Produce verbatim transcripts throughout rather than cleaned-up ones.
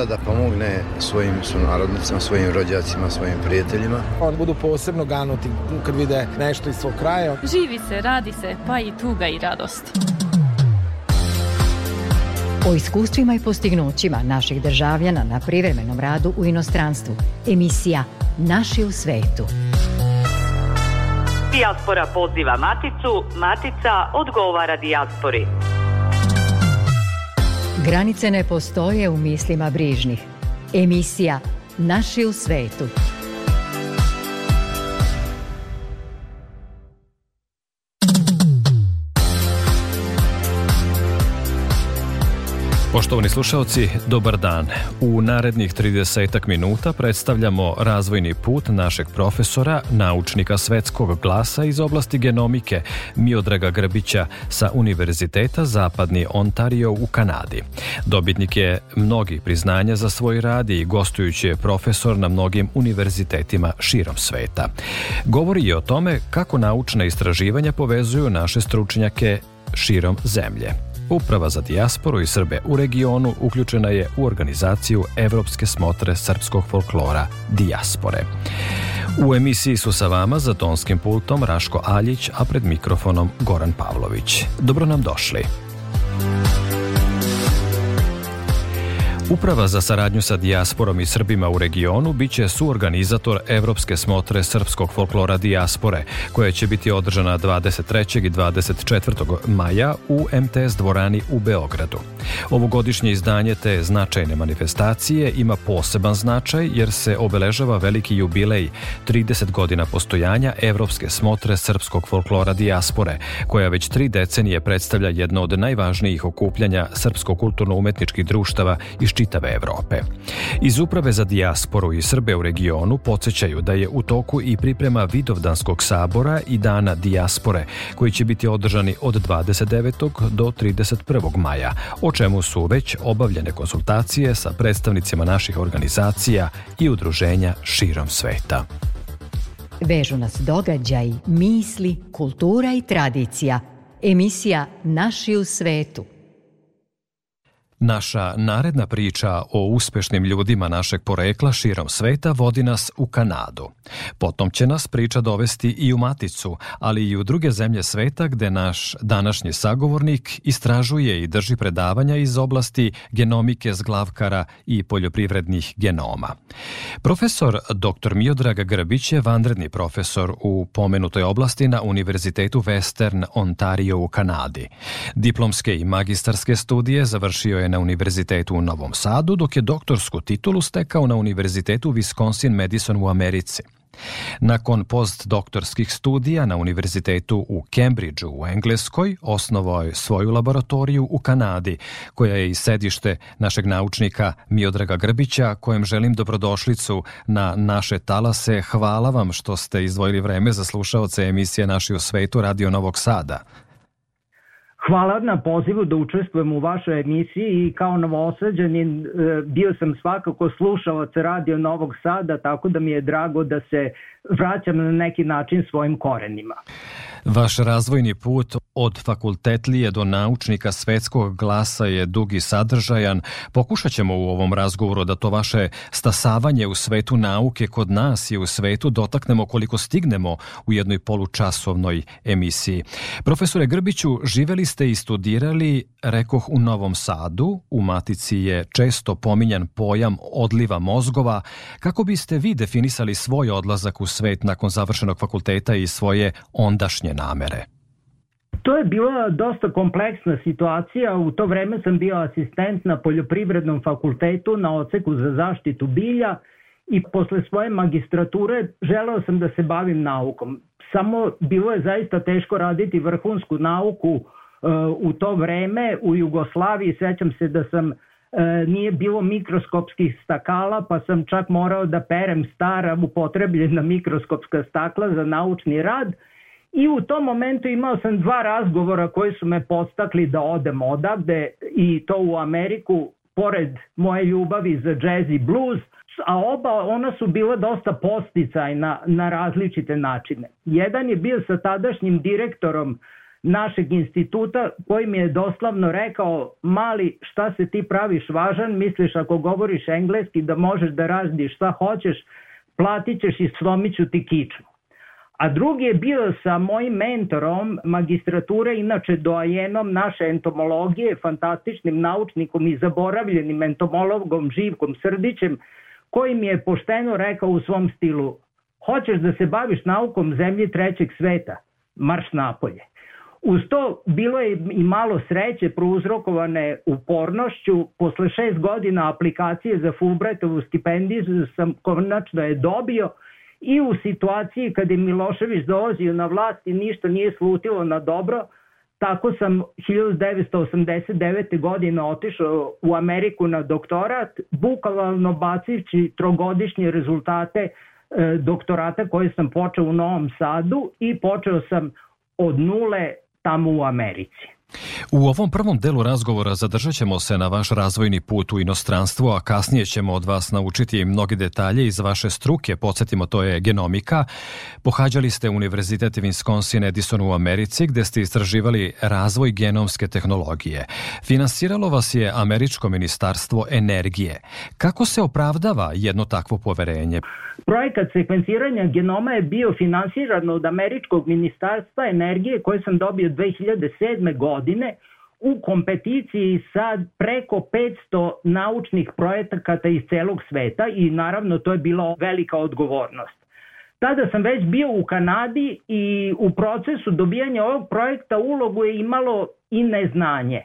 da pomogne svojim sunarodnicima, svojim rođacima, svojim prijateljima. Oni budu posebno ganuti kad vide nešto iz svog kraja. Živi se, radi se, pa i tuga i radost. O iskustvima i postignućima naših državljana na privremenom radu u inostranstvu. Emisija Naši u svetu. Dijaspora poziva Maticu, Matica odgovara dijaspori. Granice ne postoje u mislima brižnih. Emisija Naši u svetu. Poštovani slušaoci, dobar dan. U narednih tridesetak minuta predstavljamo razvojni put našeg profesora, naučnika svetskog glasa iz oblasti genomike Miodraga Grbića sa Univerziteta Zapadni Ontario u Kanadi. Dobitnik je mnogih priznanja za svoj rad i gostujući je profesor na mnogim univerzitetima širom sveta. Govori i o tome kako naučna istraživanja povezuju naše stručnjake širom zemlje. Uprava za dijasporu i Srbe u regionu uključena je u organizaciju Evropske smotre srpskog folklora Dijaspore. U emisiji su sa vama za tonskim pultom Raško Aljić, a pred mikrofonom Goran Pavlović. Dobro nam došli. Uprava za saradnju sa dijasporom i Srbima u regionu biće suorganizator Evropske smotre srpskog folklora Dijaspore, koja će biti održana dvadeset trećeg i dvadeset četvrtog maja u em te es dvorani u Beogradu. Ovogodišnje izdanje te značajne manifestacije ima poseban značaj jer se obeležava veliki jubilej trideset godina postojanja Evropske smotre srpskog folklora Dijaspore, koja već tri decenije predstavlja jedno od najvažnijih okupljanja srpsko-kulturno-umetničkih društava iz čitave Evrope. Iz Uprave za dijasporu i Srbe u regionu podsjećaju da je u toku i priprema Vidovdanskog sabora i Dana dijaspore, koji će biti održani od dvadeset devetog do trideset prvog maja, o čemu su već obavljene konsultacije sa predstavnicima naših organizacija i udruženja širom sveta. Vežu nas događaji, misli, kultura i tradicija. Emisija Naši u svetu. Naša naredna priča o uspešnim ljudima našeg porekla širom sveta vodi nas u Kanadu. Potom će nas priča dovesti i u Maticu, ali i u druge zemlje sveta gde naš današnji sagovornik istražuje i drži predavanja iz oblasti genomike zglavkara i poljoprivrednih genoma. Profesor doktor Miodrag Grbić je vanredni profesor u pomenutoj oblasti na Univerzitetu Western Ontario u Kanadi. Diplomske i magistarske studije završio je na Univerzitetu u Novom Sadu, dok je doktorsku titulu stekao na Univerzitetu Wisconsin-Madison u Americi. Nakon postdoktorskih studija na Univerzitetu u Cambridgeu u Engleskoj osnovao je svoju laboratoriju u Kanadi, koja je i sedište našeg naučnika Miodraga Grbića, kojem želim dobrodošlicu na naše talase. Hvala vam što ste izdvojili vreme za slušaoce emisije Naši u svetu Radio Novog Sada. Hvala na pozivu da učestvujem u vašoj emisiji i kao Novosađanin bio sam svakako slušalac Radio Novog Sada, tako da mi je drago da se vraćam na neki način svojim korenima. Vaš razvojni put od fakultetlije do naučnika svetskog glasa je dug i sadržajan. Pokušat ćemo u ovom razgovoru da to vaše stasavanje u svetu nauke kod nas i u svetu dotaknemo koliko stignemo u jednoj polučasovnoj emisiji. Profesore Grbiću, živeli ste i studirali, rekoh, u Novom Sadu. U Matici je često pominjan pojam odliva mozgova. Kako biste vi definisali svoj odlazak u svet nakon završenog fakulteta i svoje ondašnje namere? To je bila dosta kompleksna situacija. U to vreme sam bio asistent na Poljoprivrednom fakultetu na odseku za zaštitu bilja i posle svoje magistrature želeo sam da se bavim naukom. Samo bilo je zaista teško raditi vrhunsku nauku uh, u to vreme u Jugoslaviji. Sećam se da sam Uh, nije bilo mikroskopskih stakala, pa sam čak morao da perem stara upotrebljena mikroskopska stakla za naučni rad. I u tom momentu imao sam dva razgovora koji su me podstakli da odem odavde, i to u Ameriku, pored moje ljubavi za jazz i blues, a oba ona su bila dosta podsticajna na različite načine. Jedan je bio sa tadašnjim direktorom našeg instituta koji mi je doslovno rekao: mali, šta se ti praviš važan, misliš ako govoriš engleski da možeš da radiš šta hoćeš, platit ćeš i slomit ću ti kičmu. A drugi je bio sa mojim mentorom magistrature, inače doajenom naše entomologije, fantastičnim naučnikom i zaboravljenim entomologom Živkom Srdićem, koji mi je pošteno rekao u svom stilu: hoćeš da se baviš naukom zemlji trećeg sveta, marš napolje. Uz to bilo je i malo sreće prouzrokovane upornošću. Posle šest godina aplikacije za Fulbrightovu stipendiju sam konačno je dobio i u situaciji kad je Milošević dolazio na vlast i ništa nije slutilo na dobro, tako sam hiljadu devetsto osamdeset devete. godine otišao u Ameriku na doktorat, bukvalno bacivši trogodišnje rezultate e, doktorata koje sam počeo u Novom Sadu i počeo sam od nule tamo u Americi. U ovom prvom delu razgovora zadržat ćemo se na vaš razvojni put u inostranstvo, a kasnije ćemo od vas naučiti mnogi detalje iz vaše struke. Podsjetimo, to je genomika. Pohađali ste Univerzitet Wisconsin-Edison u Americi, gde ste istraživali razvoj genomske tehnologije. Finansiralo vas je Američko ministarstvo energije. Kako se opravdava jedno takvo poverenje? Projekat sekvenciranja genoma je bio finansiran od Američkog ministarstva energije koje sam dobio dve hiljade sedme. godine u kompeticiji sa preko petsto naučnih projekata iz celog sveta i naravno to je bila velika odgovornost. Tada sam već bio u Kanadi i u procesu dobijanja ovog projekta ulogu je imalo i neznanje.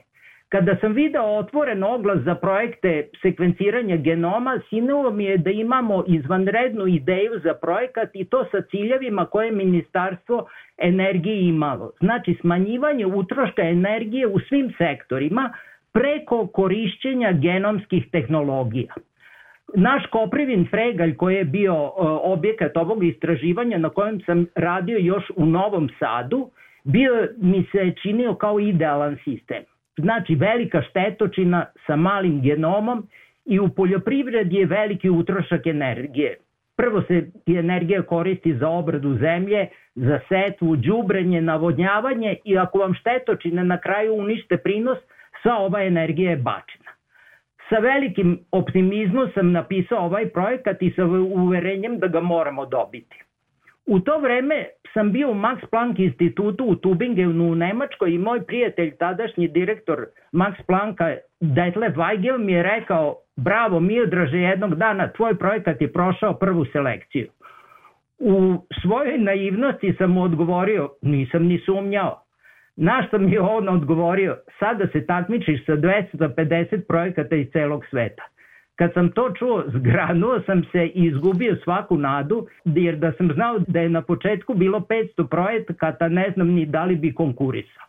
Kada sam video otvoren oglas za projekte sekvenciranja genoma, sinulo mi je da imamo izvanrednu ideju za projekat i to sa ciljevima koje je Ministarstvo energije imalo. Znači smanjivanje utroška energije u svim sektorima preko korišćenja genomskih tehnologija. Naš Koprivin Fregalj, koji je bio objekat ovog istraživanja na kojem sam radio još u Novom Sadu, bio mi se činio kao idealan sistem. Znači velika štetočina sa malim genomom i u poljoprivredi je veliki utrošak energije. Prvo se energija koristi za obradu zemlje, za setvu, đubrenje, navodnjavanje i ako vam štetočine na kraju unište prinos, sva ova energija je bačena. Sa velikim optimizmom sam napisao ovaj projekat i sa uverenjem da ga moramo dobiti. U to vreme sam bio u Max Planck institutu u Tübingenu u Nemačkoj i moj prijatelj, tadašnji direktor Max Plancka, Detlef Weigel, mi je rekao: bravo Miodraže, jednog dana tvoj projekat je prošao prvu selekciju. U svojoj naivnosti sam mu odgovorio: nisam ni sumnjao. Na što mi je on odgovorio: sada se takmičiš sa dvesta pedeset projekata iz celog sveta. Kad sam to čuo, zgranuo sam se i izgubio svaku nadu, jer da sam znao da je na početku bilo petsto projekata, ne znam ni da li bi konkurisao.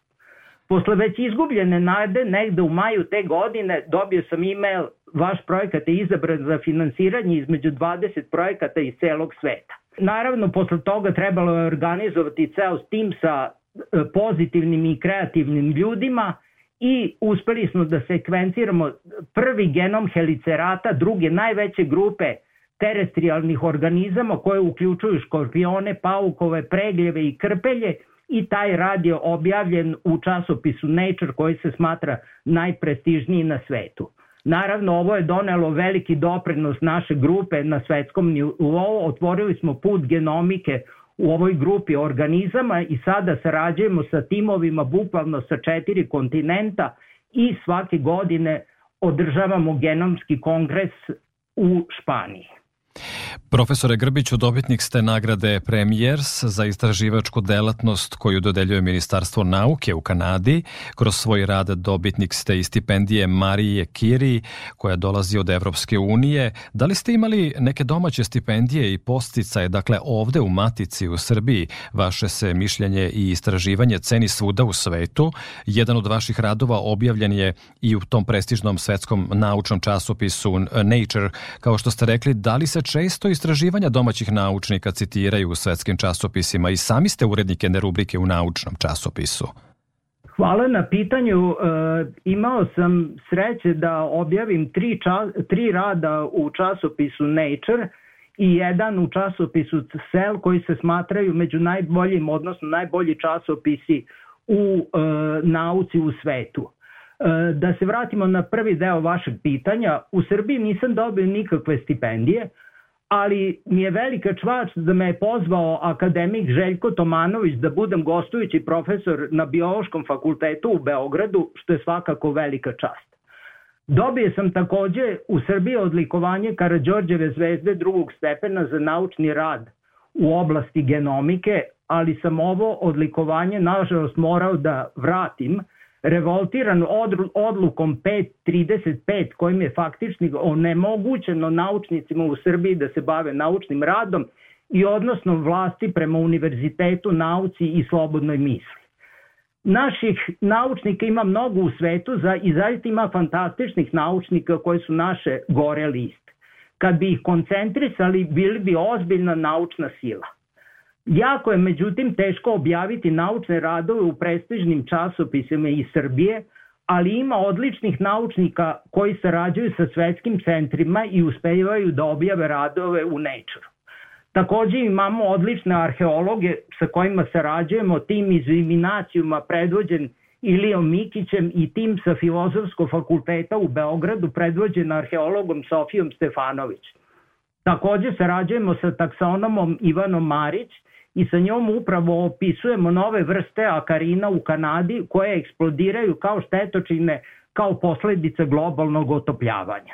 Posle već izgubljene nade, negde u maju te godine, dobio sam e-mail: vaš projekat je izabran za finansiranje između dvadeset projekata iz celog sveta. Naravno, posle toga trebalo je organizovati ceo tim sa pozitivnim i kreativnim ljudima i uspeli smo da sekvenciramo prvi genom helicerata, druge najveće grupe terestrijalnih organizama koje uključuju škorpione, paukove, pregljeve i krpelje, i taj rad je objavljen u časopisu Nature koji se smatra najprestižniji na svetu. Naravno, ovo je donelo veliki doprinos naše grupe na svetskom nivou, otvorili smo put genomike u ovoj grupi organizama i sada sarađujemo sa timovima bukvalno sa četiri kontinenta i svake godine održavamo genomski kongres u Španiji. Profesore Grbiću, dobitnik ste nagrade Premiers za istraživačku delatnost koju dodeljuje Ministarstvo nauke u Kanadi. Kroz svoj rad dobitnik ste i stipendije Marije Curie koja dolazi od Evropske unije. Da li ste imali neke domaće stipendije i podsticaje, dakle ovde u Matici u Srbiji? Vaše se mišljenje i istraživanje ceni svuda u svetu. Jedan od vaših radova objavljen je i u tom prestižnom svetskom naučnom časopisu Nature. Kao što ste rekli, da li se često istraživanja domaćih naučnika citiraju u svetskim časopisima i sami ste urednik jedne rubrike u naučnom časopisu? Hvala na pitanju. E, imao sam sreće da objavim tri, čas, tri rada u časopisu Nature i jedan u časopisu Cell koji se smatraju među najboljim, odnosno najbolji časopisi u e, nauci u svetu. E, da se vratimo na prvi deo vašeg pitanja, u Srbiji nisam dobio nikakve stipendije, ali mi je velika čast da me je pozvao akademik Željko Tomanović da budem gostujući profesor na Biološkom fakultetu u Beogradu, što je svakako velika čast. Dobio sam takođe u Srbiji odlikovanje Karađorđeve zvezde drugog stepena za naučni rad u oblasti genomike, ali sam ovo odlikovanje nažalost morao da vratim, revoltiran odlukom pet trideset pet kojim je faktički onemogućeno naučnicima u Srbiji da se bave naučnim radom i odnosno vlasti prema univerzitetu, nauci i slobodnoj misli. Naših naučnika ima mnogo u svetu za, i zaista ima fantastičnih naučnika koji su naše gore liste. Kad bi ih koncentrisali, bili bi ozbiljna naučna sila. Jako je međutim teško objaviti naučne radove u prestižnim časopisima iz Srbije, ali ima odličnih naučnika koji sarađuju sa svetskim centrima i uspevaju da objave radove u Nature. Takođe imamo odlične arheologe sa kojima sarađujemo, tim iz Iminacijuma predvođen Ilijom Mikićem i tim sa Filozofskog fakulteta u Beogradu predvođen arheologom Sofijom Stefanović. Takođe sarađujemo sa taksonomom Ivanom Marić i sa njom upravo opisujemo nove vrste akarina u Kanadi koje eksplodiraju kao štetočine kao posledica globalnog otopljavanja.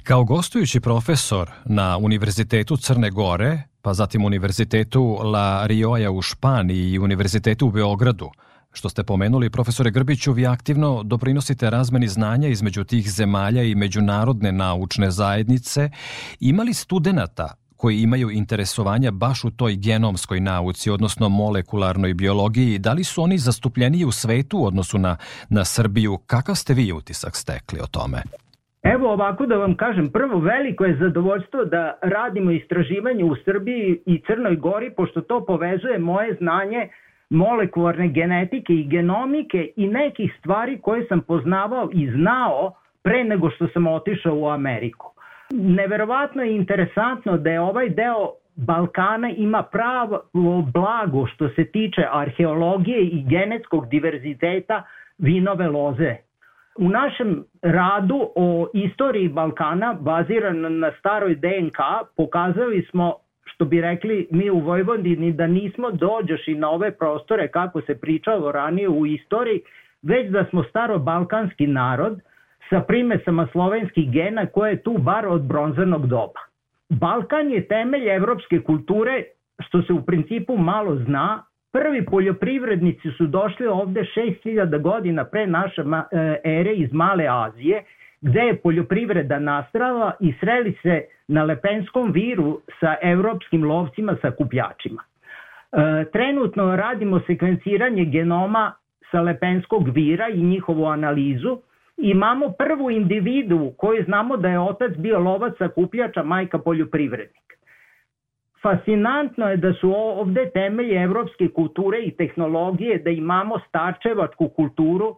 Kao gostujući profesor na Univerzitetu Crne Gore, pa zatim Univerzitetu La Rioja u Španiji i Univerzitetu u Beogradu, što ste pomenuli, profesore Grbiću, vi aktivno doprinosite razmeni znanja između tih zemalja i međunarodne naučne zajednice. Ima li studenata koji imaju interesovanja baš u toj genomskoj nauci, odnosno molekularnoj biologiji? Da li su oni zastupljeniji u svetu u odnosu na, na Srbiju? Kakav ste vi utisak stekli o tome? Evo ovako da vam kažem, prvo veliko je zadovoljstvo da radimo istraživanje u Srbiji i Crnoj Gori, pošto to povezuje moje znanje molekularne genetike i genomike i nekih stvari koje sam poznavao i znao pre nego što sam otišao u Ameriku. Neverovatno je interesantno da je ovaj deo Balkana ima pravo blago što se tiče arheologije i genetskog diverziteta vinove loze. U našem radu o istoriji Balkana, baziran na staroj D N K, pokazali smo, što bi rekli mi u Vojvodini, da nismo dođoši na ove prostore kako se pričalo ranije u istoriji, već da smo starobalkanski narod sa primesama slovenskih gena koje je tu bar od bronzanog doba. Balkan je temelj evropske kulture, što se u principu malo zna. Prvi poljoprivrednici su došli ovde šest hiljada godina pre naše ere iz Male Azije, gde je poljoprivreda nastala i sreli se na Lepenskom viru sa evropskim lovcima sakupljačima. E, trenutno radimo sekvenciranje genoma sa Lepenskog vira i njihovu analizu. Imamo prvu individu koju znamo da je otac bio lovac sakupljača, majka poljoprivrednik. Fascinantno je da su ovde temelje evropske kulture i tehnologije, da imamo starčevačku kulturu,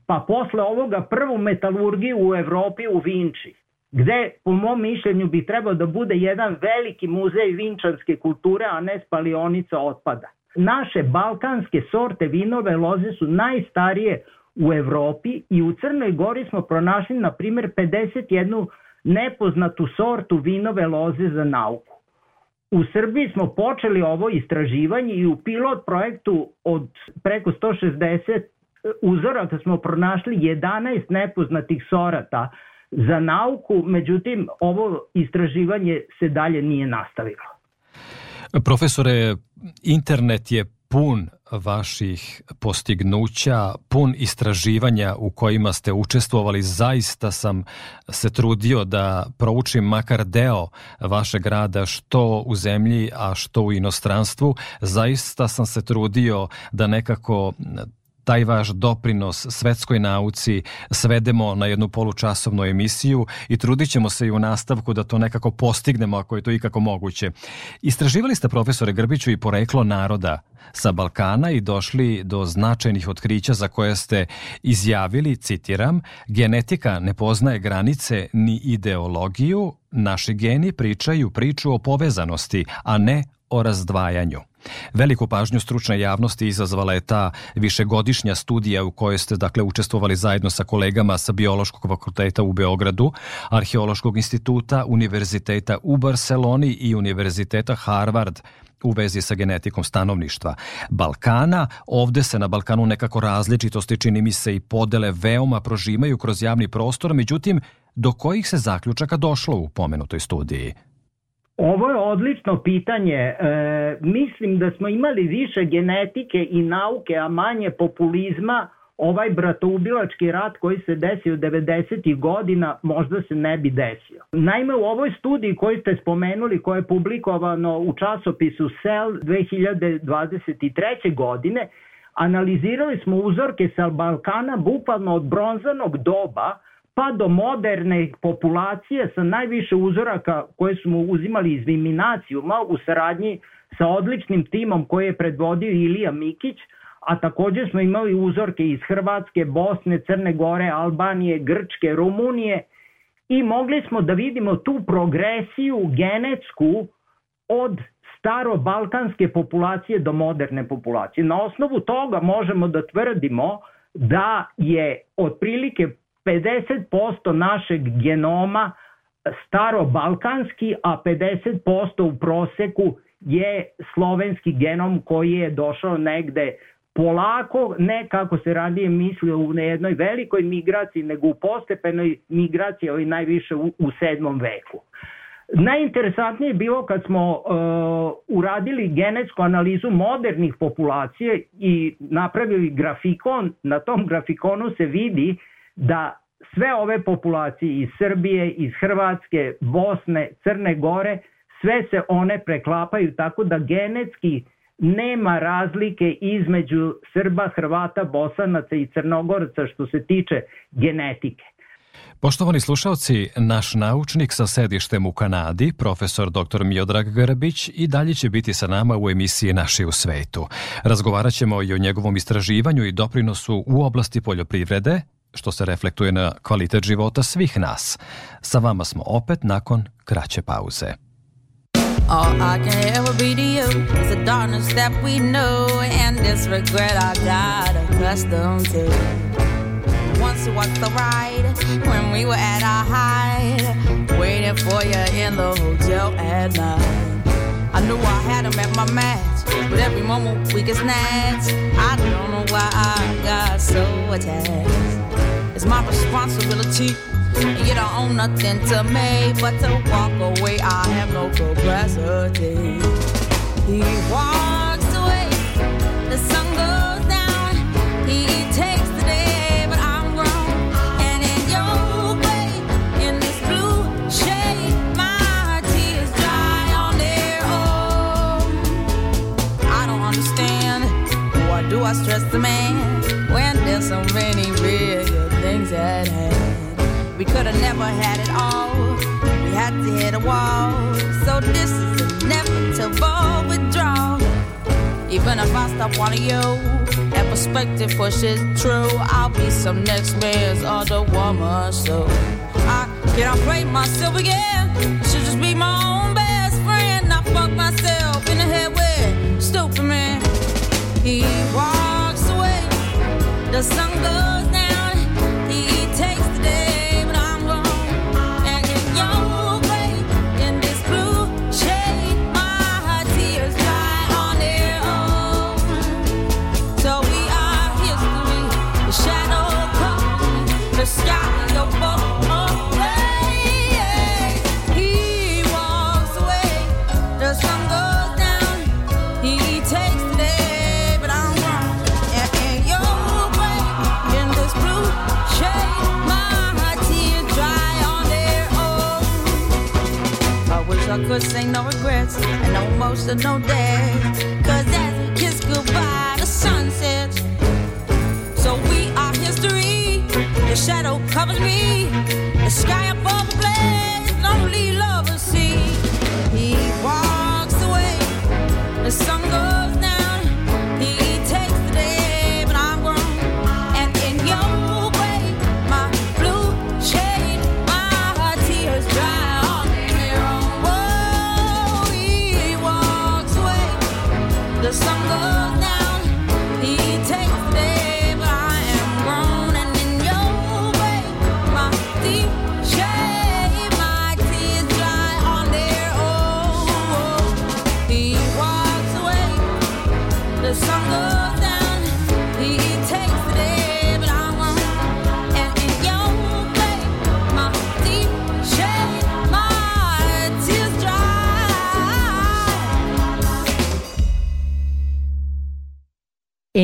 pa posle ovoga prvu metalurgiju u Evropi u Vinči, gde po mom mišljenju bi trebao da bude jedan veliki muzej vinčanske kulture, a ne spalionica otpada. Naše balkanske sorte vinove loze su najstarije u Evropi i u Crnoj Gori smo pronašli, na primjer, pedeset jednu nepoznatu sortu vinove loze za nauku. U Srbiji smo počeli ovo istraživanje i u pilot projektu od preko sto šezdeset uzoraka smo pronašli jedanaest nepoznatih sorata za nauku, međutim ovo istraživanje se dalje nije nastavilo. Profesore, internet je pun vaših postignuća, pun istraživanja u kojima ste učestvovali. Zaista sam se trudio da proučim makar deo vašeg rada, što u zemlji, a što u inostranstvu. Zaista sam se trudio da nekako taj vaš doprinos svetskoj nauci svedemo na jednu polučasovnu emisiju i trudit ćemo se i u nastavku da to nekako postignemo ako je to ikako moguće. Istraživali ste, profesore Grbiću, i poreklo naroda sa Balkana i došli do značajnih otkrića za koje ste izjavili, citiram, genetika ne poznaje granice ni ideologiju, naši geni pričaju priču o povezanosti, a ne o razdvajanju. Veliku pažnju stručne javnosti izazvala je ta višegodišnja studija u kojoj ste dakle učestvovali zajedno sa kolegama sa Biološkog fakulteta u Beogradu, Arheološkog instituta, Univerziteta u Barseloni i Univerziteta Harvard u vezi sa genetikom stanovništva Balkana. Ovde se na Balkanu nekako različitosti, čini mi se, i podele veoma prožimaju kroz javni prostor, međutim, do kojih se zaključaka došlo u pomenutoj studiji? Ovo je odlično pitanje. E, mislim da smo imali više genetike i nauke, a manje populizma. Ovaj bratoubilački rat koji se desio devedesetih godina možda se ne bi desio. Naime, u ovoj studiji koju ste spomenuli, koja je publikovano u časopisu Cell dve hiljade dvadeset treće. godine, analizirali smo uzorke sa Balkana bukvalno od bronzanog doba pa do moderne populacije sa najviše uzoraka koje smo uzimali iz Viminacijuma u saradnji sa odličnim timom koji je predvodio Ilija Mikić, a također smo imali uzorke iz Hrvatske, Bosne, Crne Gore, Albanije, Grčke, Rumunije i mogli smo da vidimo tu progresiju genetsku od starobalkanske populacije do moderne populacije. Na osnovu toga možemo da tvrdimo da je otprilike pedeset posto našeg genoma starobalkanski, a pedeset posto u proseku je slovenski genom koji je došao negde polako, ne kako se radije mislio u jednoj velikoj migraciji, nego u postepenoj migraciji, ali najviše u, u sedmom veku. Najinteresantnije je bilo kad smo uh, uradili genetsku analizu modernih populacija i napravili grafikon. Na tom grafikonu se vidi da sve ove populacije iz Srbije, iz Hrvatske, Bosne, Crne Gore, sve se one preklapaju tako da genetski nema razlike između Srba, Hrvata, Bosanaca i Crnogorca što se tiče genetike. Poštovani slušalci, naš naučnik sa sedištem u Kanadi, profesor doktor Miodrag Grbić, i dalje će biti sa nama u emisiji Naši u svetu. Razgovarat ćemo i o njegovom istraživanju i doprinosu u oblasti poljoprivrede, što se reflektuje na kvalitet života svih nas. Sa vama smo opet nakon kraće pauze. All I can ever be to you is the darkness that we know and this regret I got accustomed to. Once it was the ride when we were at our height, waiting for you in the hotel at night. I knew I had him at my match, but every moment we get snatched. I don't know why I got so attached. It's my responsibility, and you don't own nothing to me but to walk away. I have no capacity. He walks away, the sun goes down. He takes the day, but I'm grown. And in your way, in this blue shade, my tears dry on their own. I don't understand, why do I stress the man when there's so many real things at hand? We could have never had it all. We had to hit a wall. So this is inevitable withdrawal. Even if I stop wanting you, that perspective pushes true. I'll be some next man's other woman. So I can't play myself again. I should just be my own best friend. I fuck myself in the head with stupid man. He walks away. The sun goes down. He takes the day. The sky of both away. He walks away. The sun goes down. He takes the day, but I'm wrong. And in your way, in this blue shade, my tears dry on their own. I wish I could say no regrets and no emotional days. Cause as we kiss goodbye, the sun sets. So we are history. The shadow covers me. The sky above the blaze, lonely lovers see. He walks away. The sun goes down. He takes the day, but I'm grown. And in your way, my blue shade, my tears dry on their own. Whoa, he walks away.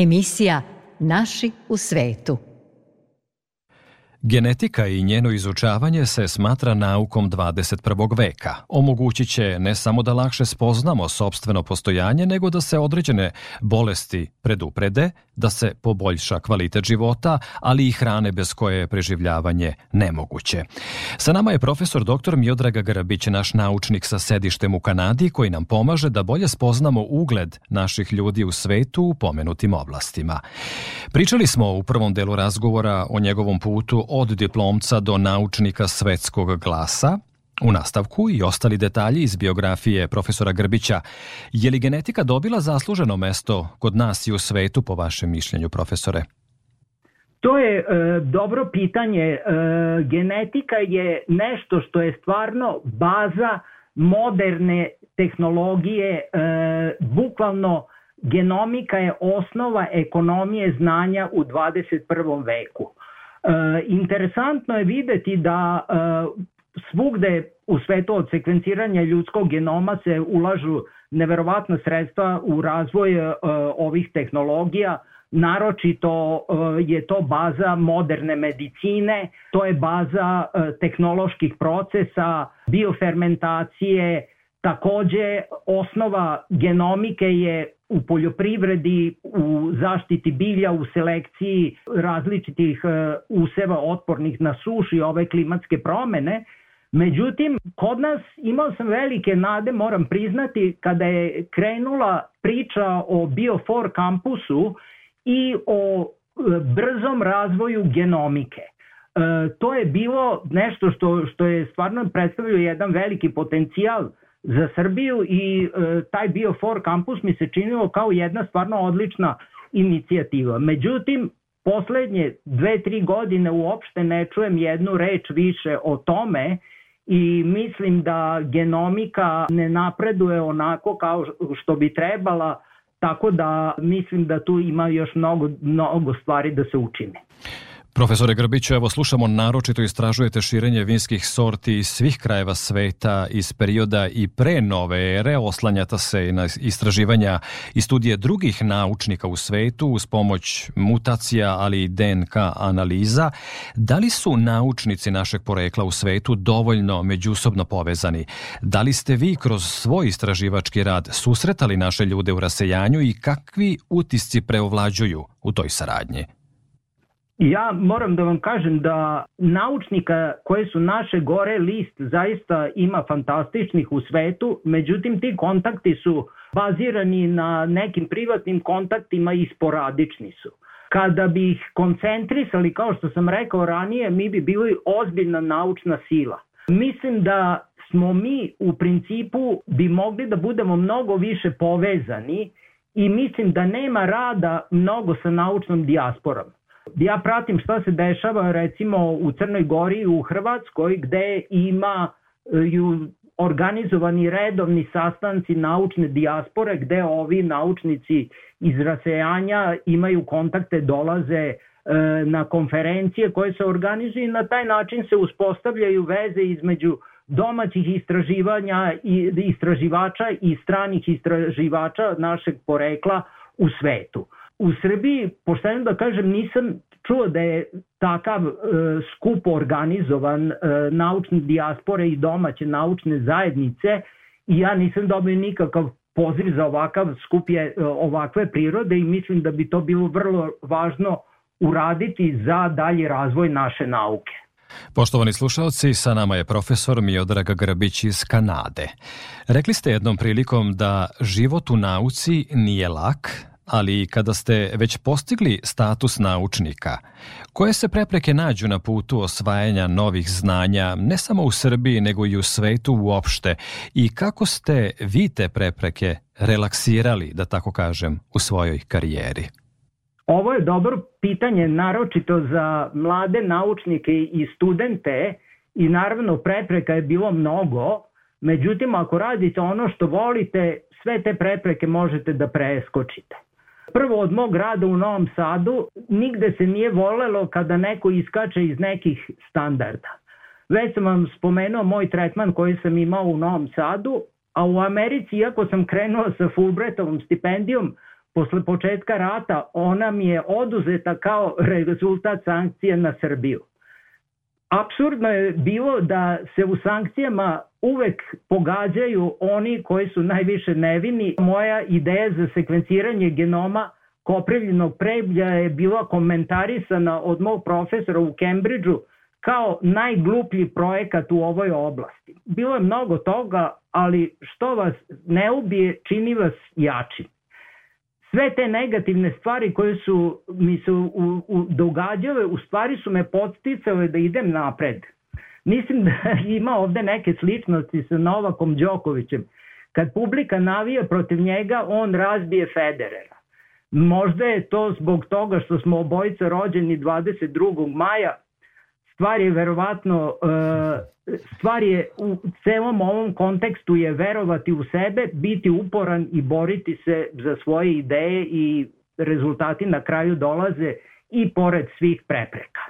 Emisija Naši u svetu. Genetika i njeno izučavanje se smatra naukom dvadeset prvog veka. Omogućit će ne samo da lakše spoznamo sopstveno postojanje, nego da se određene bolesti preduprede, da se poboljša kvalitet života, ali i hrane bez koje je preživljavanje nemoguće. Sa nama je profesor doktor Miodraga Grabić, naš naučnik sa sedištem u Kanadi, koji nam pomaže da bolje spoznamo ugled naših ljudi u svetu u pomenutim oblastima. Pričali smo u prvom delu razgovora o njegovom putu od diplomca do naučnika svetskog glasa. U nastavku i ostali detalji iz biografije profesora Grbića. Je li genetika dobila zasluženo mesto kod nas i u svetu, po vašem mišljenju, profesore? To je e, dobro pitanje. E, genetika je nešto što je stvarno baza moderne tehnologije. E, bukvalno genomika je osnova ekonomije znanja u dvadeset prvom veku. E, interesantno je videti da e, svugde u svetu od sekvenciranja ljudskog genoma se ulažu neverovatna sredstva u razvoj e, ovih tehnologija. Naročito e, je to baza moderne medicine, to je baza e, tehnoloških procesa, biofermentacije. Takođe, osnova genomike je u poljoprivredi, u zaštiti bilja, u selekciji različitih e, useva otpornih na sušu i ove klimatske promene. Međutim, kod nas imao sam velike nade, moram priznati, kada je krenula priča o Biofor kampusu i o brzom razvoju genomike. E, to je bilo nešto što, što je stvarno predstavljao jedan veliki potencijal za Srbiju i e, taj Biofor kampus mi se činilo kao jedna stvarno odlična inicijativa. Međutim, poslednje dve, tri godine uopšte ne čujem jednu reč više o tome i mislim da genomika ne napreduje onako kao što bi trebala, tako da mislim da tu ima još mnogo, mnogo stvari da se učine. Profesore Grbiću, evo slušamo, naročito istražujete širenje vinskih sorti iz svih krajeva sveta iz perioda i pre nove ere, oslanjata se na istraživanja i studije drugih naučnika u svetu uz pomoć mutacija, ali i D N K analiza. Da li su naučnici našeg porekla u svetu dovoljno međusobno povezani? Da li ste vi kroz svoj istraživački rad susretali naše ljude u rasejanju i kakvi utisci preovlađuju u toj saradnji? Ja moram da vam kažem da naučnika koje su naše gore list zaista ima fantastičnih u svetu, međutim ti kontakti su bazirani na nekim privatnim kontaktima i sporadični su. Kada bi ih koncentrisali, kao što sam rekao ranije, mi bi bili ozbiljna naučna sila. Mislim da smo mi u principu bi mogli da budemo mnogo više povezani i mislim da nema rada mnogo sa naučnom dijasporom. Ja pratim šta se dešava recimo u Crnoj Gori i u Hrvatskoj gde ima ju organizovani redovni sastanci naučne dijaspore gde ovi naučnici iz rasejanja imaju kontakte, dolaze e, na konferencije koje se organizuju i na taj način se uspostavljaju veze između domaćih istraživanja i istraživača i stranih istraživača našeg porekla u svetu. U Srbiji, pošteno da kažem, nisam čuo da je takav e, skup organizovan e, naučne dijaspore i domaće naučne zajednice i ja nisam dobio nikakav poziv za ovakav skup je, e, ovakve prirode i mislim da bi to bilo vrlo važno uraditi za dalji razvoj naše nauke. Poštovani slušalci, sa nama je profesor Miodrag Grabić iz Kanade. Rekli ste jednom prilikom da život u nauci nije lak, ali kada ste već postigli status naučnika, koje se prepreke nađu na putu osvajanja novih znanja, ne samo u Srbiji, nego i u svetu uopšte, i kako ste vi te prepreke relaksirali, da tako kažem, u svojoj karijeri? Ovo je dobro pitanje, naročito za mlade naučnike i studente i naravno prepreka je bilo mnogo, međutim ako radite ono što volite, sve te prepreke možete da preskočite. Prvo, od mog rada u Novom Sadu nigde se nije volelo kada neko iskače iz nekih standarda. Već sam vam spomenuo moj tretman koji sam imao u Novom Sadu, a u Americi, iako sam krenuo sa Fulbrightovom stipendijom, posle početka rata ona mi je oduzeta kao rezultat sankcije na Srbiju. Apsurdno je bilo da se u sankcijama uvek pogađaju oni koji su najviše nevini. Moja ideja za sekvenciranje genoma koprivljenog preblja je bila komentarisana od mog profesora u Cambridgeu kao najgluplji projekat u ovoj oblasti. Bilo je mnogo toga, ali što vas ne ubije, čini vas jačim. Sve te negativne stvari koje su mi se u, u, događale, u stvari su me podsticale da idem napred. Mislim da ima ovde neke sličnosti sa Novakom Đokovićem. Kad publika navija protiv njega, on razbije Federera. Možda je to zbog toga što smo obojica rođeni dvadeset drugog maja. Stvar je verovatno, stvar je u celom ovom kontekstu je verovati u sebe, biti uporan i boriti se za svoje ideje i rezultati na kraju dolaze i pored svih prepreka.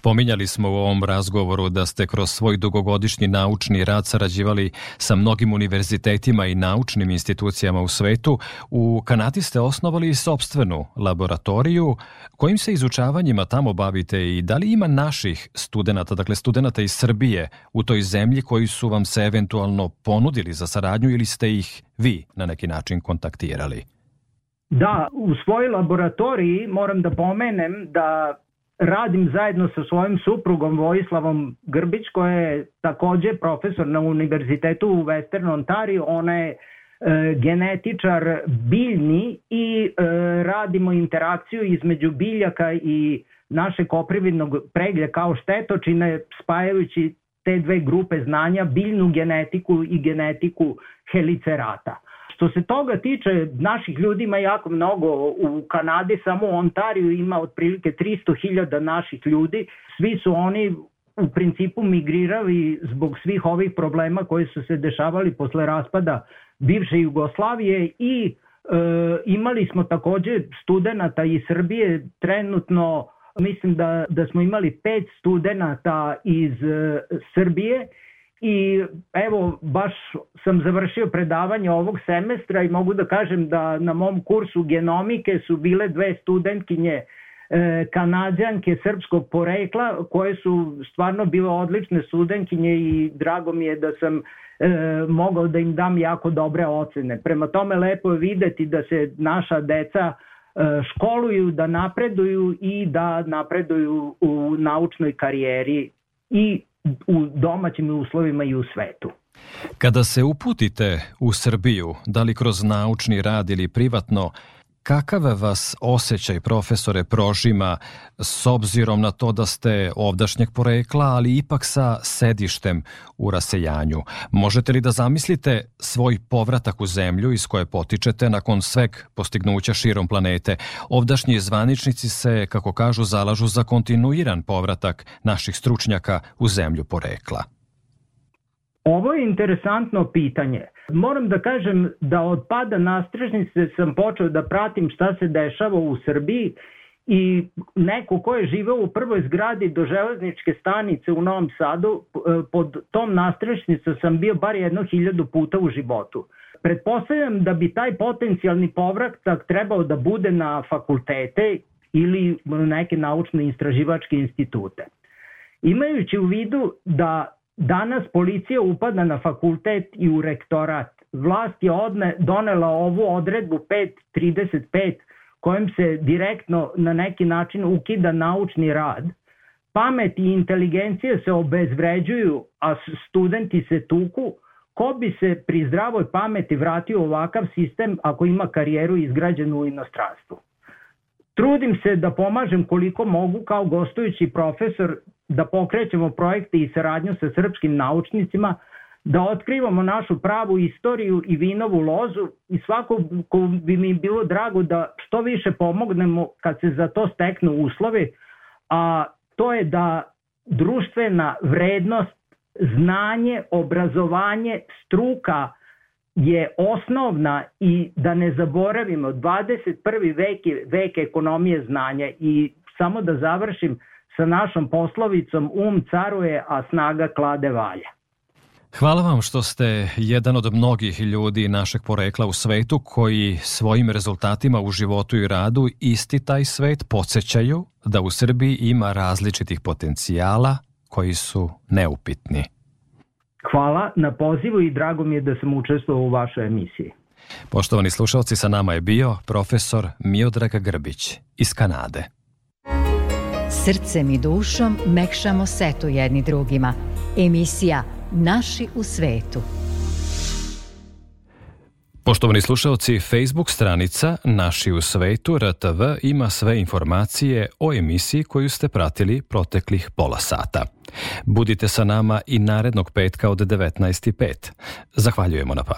Pominjali smo u ovom razgovoru da ste kroz svoj dugogodišnji naučni rad sarađivali sa mnogim univerzitetima i naučnim institucijama u svetu. U Kanadi ste osnovali sopstvenu laboratoriju. Kojim se izučavanjima tamo bavite i da li ima naših studenata, dakle studenata iz Srbije u toj zemlji koji su vam se eventualno ponudili za saradnju ili ste ih vi na neki način kontaktirali? Da, u svojoj laboratoriji moram da pomenem da radim zajedno sa svojim suprugom Vojislavom Grbić, koja je takođe profesor na univerzitetu u Western Ontario. Ona je e, genetičar biljni i e, radimo interakciju između biljaka i našeg koprividnog preglja kao štetočine, spajajući te dve grupe znanja, biljnu genetiku i genetiku helicerata. Što se toga tiče, naših ljudi ima jako mnogo. U Kanadi samo u Ontariju ima otprilike tristo hiljada naših ljudi. Svi su oni u principu migrirali zbog svih ovih problema koji su se dešavali posle raspada bivše Jugoslavije i e, imali smo takođe studenata iz Srbije. Trenutno mislim da, da smo imali pet studenata iz e, Srbije. I evo, baš sam završio predavanje ovog semestra i mogu da kažem da na mom kursu genomike su bile dve studentkinje e, Kanadjanke srpskog porekla koje su stvarno bile odlične studentkinje i drago mi je da sam e, mogao da im dam jako dobre ocene. Prema tome lepo je videti da se naša deca e, školuju, da napreduju i da napreduju u naučnoj karijeri i u domaćim uslovima i u svetu. Kada se uputite u Srbiju, da li kroz naučni rad ili privatno, kakav vas osjećaj, profesore, prožima s obzirom na to da ste ovdašnjeg porekla, ali ipak sa sedištem u rasejanju? Možete li da zamislite svoj povratak u zemlju iz koje potičete nakon sveg postignuća širom planete? Ovdašnji zvaničnici se, kako kažu, zalažu za kontinuiran povratak naših stručnjaka u zemlju porekla. Ovo je interesantno pitanje. Moram da kažem da od pada nastrešnice sam počeo da pratim šta se dešava u Srbiji i neko ko je živeo u prvoj zgradi do železničke stanice u Novom Sadu, pod tom nastrešnicom sam bio bar jedno hiljadu puta u životu. Pretpostavljam da bi taj potencijalni povratak trebao da bude na fakultete ili neke naučne istraživačke institute. Imajući u vidu da danas policija upada na fakultet i u rektorat, vlast je odne, donela ovu odredbu pet trideset pet kojom se direktno na neki način ukida naučni rad. Pamet i inteligencija se obezvređuju, a studenti se tuku. Ko bi se pri zdravoj pameti vratio u ovakav sistem ako ima karijeru izgrađenu u inostranstvu? Trudim se da pomažem koliko mogu kao gostujući profesor, da pokrećemo projekte i saradnju sa srpskim naučnicima, da otkrivamo našu pravu istoriju i vinovu lozu i svako ko bi mi bilo drago da što više pomognemo kad se za to steknu uslovi, a to je da društvena vrednost, znanje, obrazovanje, struka je osnovna i da ne zaboravimo, dvadeset prvi vek je vek ekonomije znanja. I samo da završim sa našom poslovicom: um caruje, a snaga klade valja. Hvala vam što ste jedan od mnogih ljudi našeg porekla u svetu koji svojim rezultatima u životu i radu isti taj svet podsjećaju da u Srbiji ima različitih potencijala koji su neupitni. Hvala na pozivu i drago mi je da sam učestvovao u vašoj emisiji. Poštovani slušalci, sa nama je bio profesor Miodrag Grbić iz Kanade. Srcem i dušom mekšamo setu jedni drugima. Emisija Naši u svetu. Poštovani slušalci, Facebook stranica Naši u svetu R T V ima sve informacije o emisiji koju ste pratili proteklih pola sata. Budite sa nama i narednog petka od devetnaest i pet. Zahvaljujemo na pažnji.